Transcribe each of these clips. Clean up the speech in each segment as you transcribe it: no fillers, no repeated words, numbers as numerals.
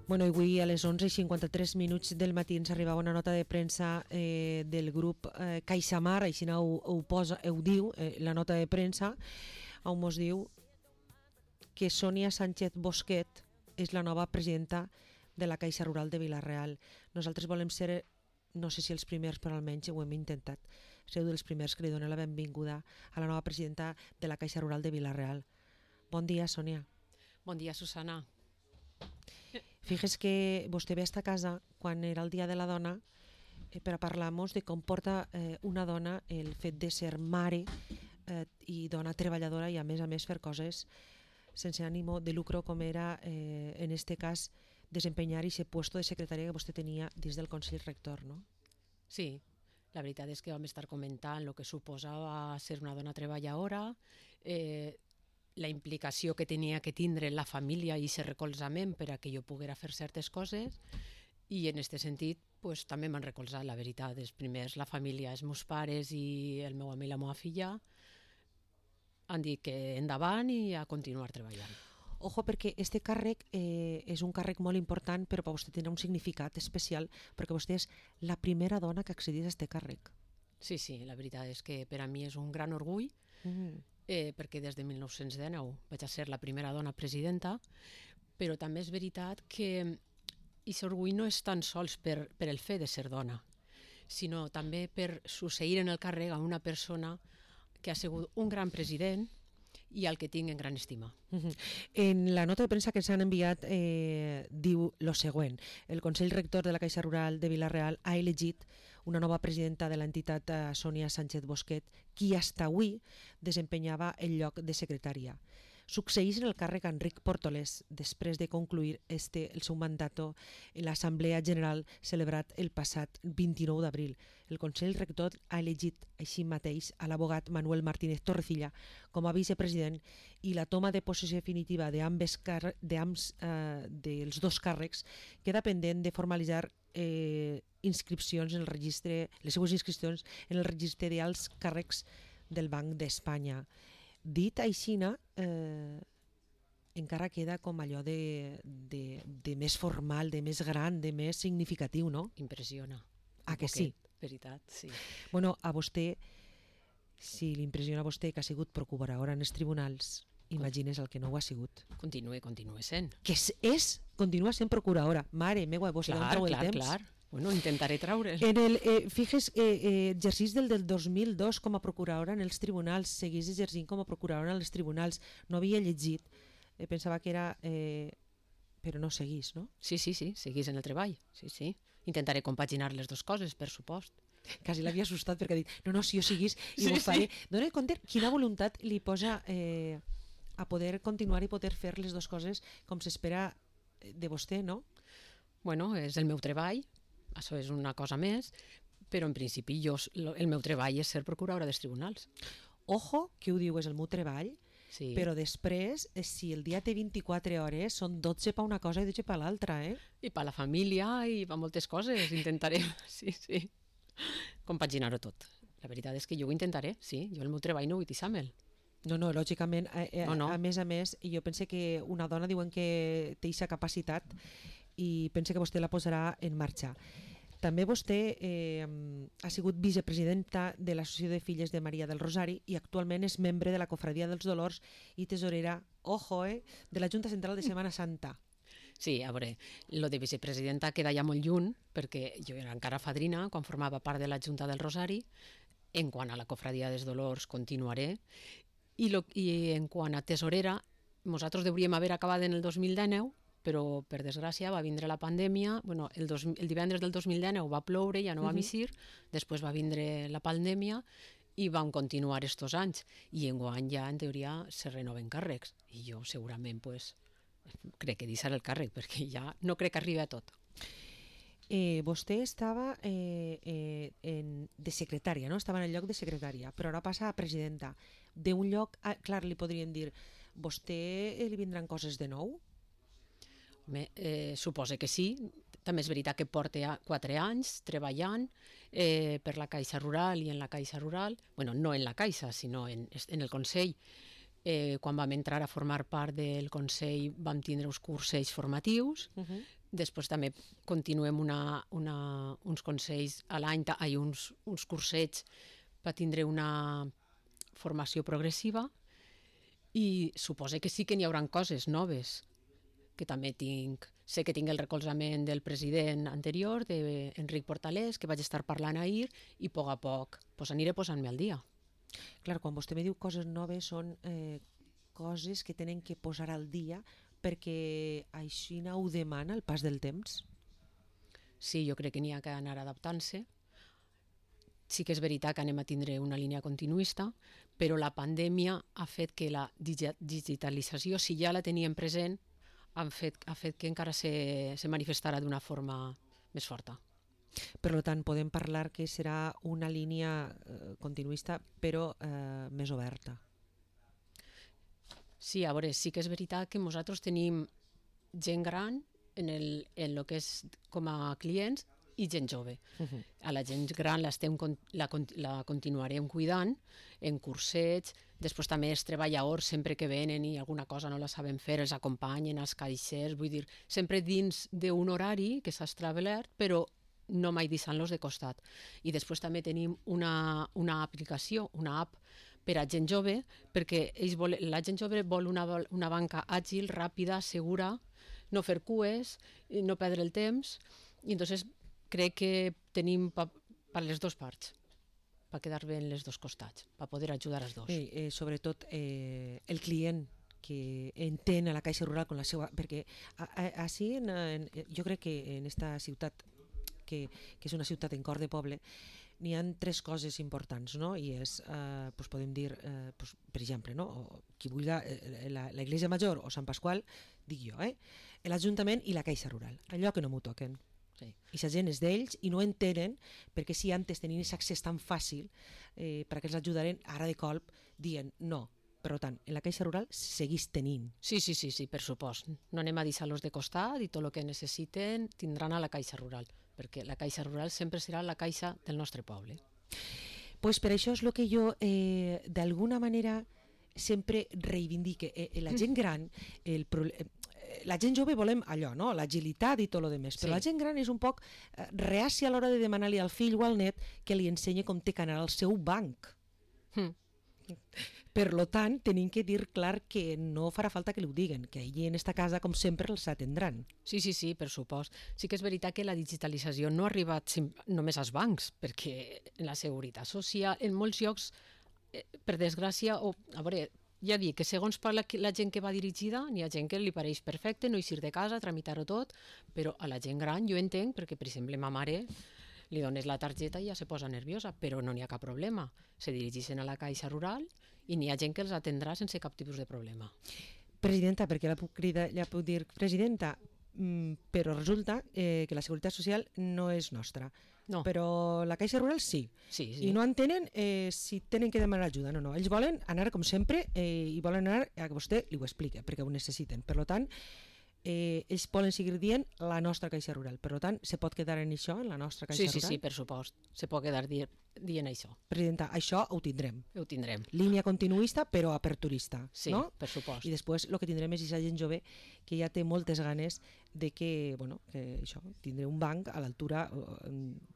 Bueno, avui a les 11:53 del matí ens arribava una nota de premsa del grup CaixaMar, així ho diu la nota de premsa, on mos diu que Sònia Sánchez Bosquet és la nova presidenta de la Caixa Rural de Vila-real. Nosaltres volem ser, no sé si els primers, però almenys ho hem intentat, ser dels primers que li donen la benvinguda a la nova presidenta de la Caixa Rural de Vila-real. Bon dia, Sònia. Bon dia, Susana. Fixes que vostè ve a esta casa quan era el Dia de la Dona per a parlar-nos de com porta una dona el fet de ser mare i dona treballadora i a més fer coses sense ànimo de lucro, com era en este cas desempenyar aquest puesto de secretària que vostè tenia dins del Consell Rector, no? Sí, la veritat és que vam estar comentant el que suposava ser una dona treballadora, la implicació que tenia que tindre la família i aquest recolzament per a que jo poguera fer certes coses, i en aquest sentit pues, també m'han recolzat, la veritat. Els primers, la família, els meus pares i el meu home i la meva filla han dit que endavant i a continuar treballant. Ojo, perquè este càrrec és un càrrec molt important, però per vostè tindrà un significat especial, perquè vostè és la primera dona que accedís a este càrrec. Sí, la veritat és que per a mi és un gran orgull, perquè des de 1919 vaig a ser la primera dona presidenta, però també és veritat que aquest orgull no és tan sols per el fet de ser dona, sinó també per succeir en el càrrec a una persona que ha sigut un gran president i al que tinc en gran estima. En la nota de premsa que ens han enviat diu lo següent: el Consell Rector de la Caixa Rural de Vila-real ha elegit una nova presidenta de l'entitat, Sònia Sánchez Bosquet, qui fins avui desempenyava el lloc de secretària. Succeeix en el càrrec Enric Portolés després de concluir el seu mandat en l'Assemblea General celebrat el passat 29 d'abril. El Consell Rector ha elegit així mateix a l'abogat Manuel Martínez Torrecilla com a vicepresident, i la toma de possessió definitiva dels dos càrrecs queda pendent de formalitzar inscripcions en el registre, les seues inscripcions en el registre d'alts càrrecs del Banc d'Espanya. Dit aixina, encara queda com allò de més formal, de més gran, de més significatiu, no? Impressiona. Ah, que sí? Veritat, sí. Bueno, a vostè, si l'impressiona a vostè que ha sigut procuradora en els tribunals, imagines el que no ho ha sigut. Continue sent. Que continua sent procuradora. Mare meva, vostè no treu el temps. Clar. Bueno, intentaré treure'l. Fixes, exercís del 2002 com a procuradora en els tribunals, seguís exercint com a procuradora en els tribunals. No havia llegit, pensava que era... però no seguís, no? Sí, seguís en el treball. Sí. Intentaré compaginar les dues coses, per supost. Quasi l'havia assustat perquè ha dit, no, si jo seguís i ho faré. Dóna compte quina voluntat li posa a poder continuar i poder fer les dues coses com s'espera de vostè, no? Bueno, és el meu treball, això és una cosa més, però en principi el meu treball és ser procuradora dels tribunals. Ojo, que ho diu és el meu treball, sí. Però després, si el dia té 24 hores, són 12 per una cosa i 12 per l'altra, I per la família i per moltes coses, intentaré, sí, compaginar-ho tot. La veritat és que jo ho intentaré, sí, jo el meu treball no vull deixar-me'l. No, lògicament, a més, jo pense que una dona diuen que té aquesta capacitat i pense que vostè la posarà en marxa. També vostè ha sigut vicepresidenta de l'Associació de Filles de Maria del Rosari i actualment és membre de la Cofradia dels Dolors i tesorera, de la Junta Central de Setmana Santa. Sí, a veure, lo de vicepresidenta queda ja molt lluny, perquè jo era encara fadrina quan formava part de la Junta del Rosari. En quant a la Cofradia dels Dolors continuaré, i en quant a tesorera, nosaltres hauríem haver acabat en el 2019, però per desgràcia va vindre la pandèmia. Bueno, el divendres del 2019 va ploure, ja no vam eixir, després va vindre la pandèmia i vam continuar estos anys, i enguany ja en teoria se renoven càrrecs, i jo segurament crec que deixaré el càrrec, perquè ja no crec que arribi a tot. Vostè estava de secretària, no? Estava en el lloc de secretària, però ara passa a presidenta d'un lloc. Clar, li podrien dir, vostè li vindran coses de nou? Suposo que sí. També és veritat que porta 4 anys treballant per la Caixa Rural i en la Caixa Rural, bueno, no en la Caixa, sinó en el Consell. Quan vam entrar a formar part del Consell vam tindre uns cursos formatius Després també continuem uns consells a l'any, uns cursets per tindre una formació progressiva i suposo que sí que n'hi haurà coses noves, que també sé que tinc el recolzament del president anterior, d'Enric Portalés, que vaig estar parlant ahir, i a poc aniré posant-me al dia. Clar, quan vostè me diu coses noves són coses que tenen que posar al dia perquè així ho demana el pas del temps? Sí, jo crec que n'hi ha que anar adaptant-se. Sí que és veritat que anem a tindre una línia continuista, però la pandèmia ha fet que la digitalització, si ja la teníem present, ha fet que encara se manifestarà d'una forma més forta. Per tant, podem parlar que serà una línia continuista, però més oberta. Sí, a veure, sí que és veritat que nosaltres tenim gent gran en el que és com a clients i gent jove. A la gent gran la continuarem cuidant en cursets, després també els treballadors sempre que venen i alguna cosa no la saben fer, els acompanyen, els caixers, vull dir, sempre dins d'un horari que s'ha establert, però no mai deixant-los de costat. I després també tenim una aplicació, una app per a gent jove, perquè la gent jove vol una banca àgil, ràpida, segura, no fer cues, no perdre el temps, i entonces crec que tenim per les dues parts, per quedar bé en els dos costats, per poder ajudar els dos. Sobretot el client que entén a la Caixa Rural con la seva... Perquè així, jo crec que en esta ciutat, que és una ciutat en cor de poble, n'hi ha tres coses importants, no? I és, podem dir, per exemple, no? Qui vulgui la Iglesia Major o Sant Pasqual, dic jo, l'Ajuntament i la Caixa Rural, allò que no m'ho toquen. Sí. I la gent és d'ells i no entenen perquè si antes tenien aquest accés tan fàcil perquè els ajudaren, ara de colp dient no. Per tant, en la Caixa Rural seguís tenint. Sí, per supost. No anem a deixar-los de costat i tot el que necessiten tindran a la Caixa Rural, perquè la Caixa Rural sempre serà la caixa del nostre poble. Pues per això és el que jo, d'alguna manera, sempre reivindique. La gent gran, la gent jove volem allò, no? L'agilitat i tot el demés, però la gent gran és un poc reàcia a l'hora de demanar-li al fill o al net que li ensenyi com té que anar al seu banc. Per tant, tenim que dir clar que no farà falta que li ho diguen, que allí en esta casa, com sempre, els atendran. Sí, per supost. Sí que és veritat que la digitalització no ha arribat només als bancs, perquè en la seguretat social, en molts llocs, per desgràcia, a veure, ja dic que segons per la gent que va dirigida, n'hi ha gent que li pareix perfecte, no eixir de casa, tramitar-ho tot, però a la gent gran jo entenc, perquè per exemple ma mare li dones la targeta i ja se posa nerviosa, però no n'hi ha cap problema. Se dirigeixen a la Caixa Rural i n'hi ha gent que els atendrà sense cap tipus de problema. Presidenta, perquè la puc dir presidenta, però resulta que la Seguretat Social no és nostra. No. Però la Caixa Rural sí. I no entenen si tenen que demanar ajuda. No. Ells volen anar com sempre i volen anar a que vostè li ho expliqui, perquè ho necessiten. Per tant, ells poden seguir dient la nostra Caixa Rural. Per tant, se pot quedar en això, en la nostra Caixa Rural? Sí, per supost. Se pot quedar dient això. Presidenta, això ho tindrem. Ho tindrem. Línia continuista, però aperturista. Sí, no? Per supost. I després el que tindrem és aquesta gent jove que ja té moltes ganes de que, que això, tindré un banc a l'altura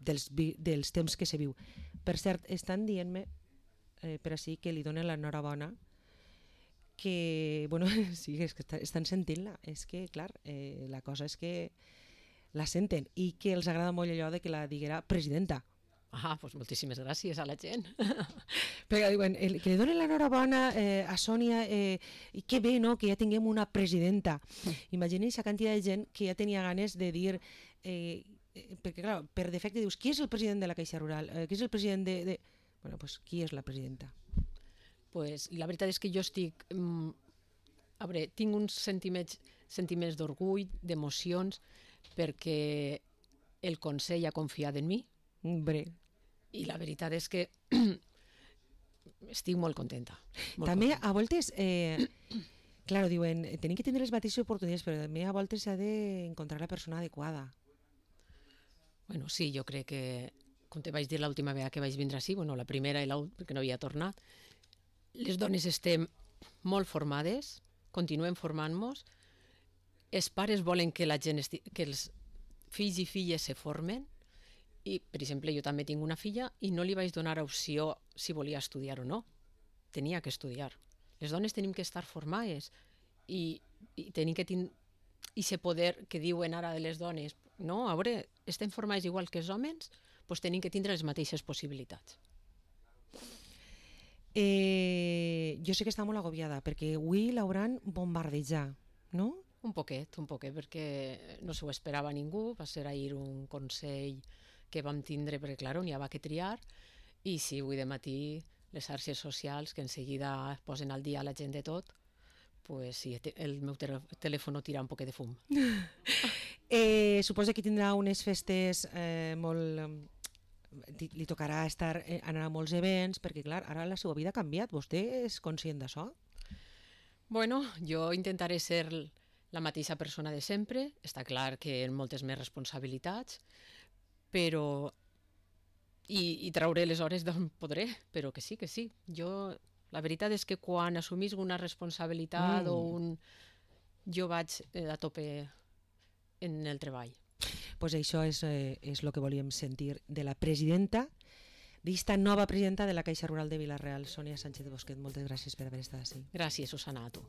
dels temps que se viu. Per cert, estan dient-me per així que li donen l'enhorabona que, sí, és que estan sentint-la, és que, clar, la cosa és que la senten i que els agrada molt allò de que la diguera presidenta. Doncs moltíssimes gràcies a la gent. Perquè diuen, que li donen l'enhorabona a Sònia i que bé, no?, que ja tinguem una presidenta. Imagini's la quantitat de gent que ja tenia ganes de dir, perquè clar, per defecte dius, qui és el president de la Caixa Rural? Qui és el president de... Bueno, doncs qui és la presidenta? Pues, la veritat és que jo estic... A veure, tinc uns sentiments d'orgull, d'emocions, perquè el Consell ha confiat en mi. I la veritat és que estic molt contenta. També a voltes, claro, diuen, tenim que tenir les mateixes oportunitats, però també a voltes s'ha d'encontrar la persona adequada. Bueno, sí, jo crec que, com te vaig dir l'última vegada que vaig vindre així, la primera i l'última, perquè no havia tornat, les dones estem molt formades, continuem formant-nos, els pares volen que la gent que els fills i filles se formen, i, per exemple, jo també tinc una filla i no li vaig donar opció si volia estudiar o no. Tenia que estudiar. Les dones tenim que estar formades i tenim que tenir aquest poder que diuen ara de les dones. No, a veure, estem formades igual que els homes, doncs tenim que tindre les mateixes possibilitats. Jo sé que està molt agobiada, perquè avui l'hauran bombardejat, no? Un poquet, perquè no s'ho esperava ningú. Va ser ahir un consell que vam tindre, perquè clar, n'hi havia que triar, i sí, avui de matí les xarxes socials, que en seguida posen al dia la gent de tot, pues sí, el meu telèfon tira un poquet de fum. Suposo que tindrà unes festes molt... Li tocarà anar a molts events, perquè clar, ara la seva vida ha canviat. Vostè és conscient d'això? Bueno, jo intentaré ser la mateixa persona de sempre. Està clar que amb moltes més responsabilitats, però... I trauré les hores d'on podré, però que sí, que sí. La veritat és que quan assumís una responsabilitat jo vaig a tope en el treball. Pues això és el que volíem sentir de la presidenta, d'esta nova presidenta de la Caixa Rural de Vila-real, Sònia Sánchez Bosquet. Moltes gràcies per haver estat així. Gràcies, Susana, a tu.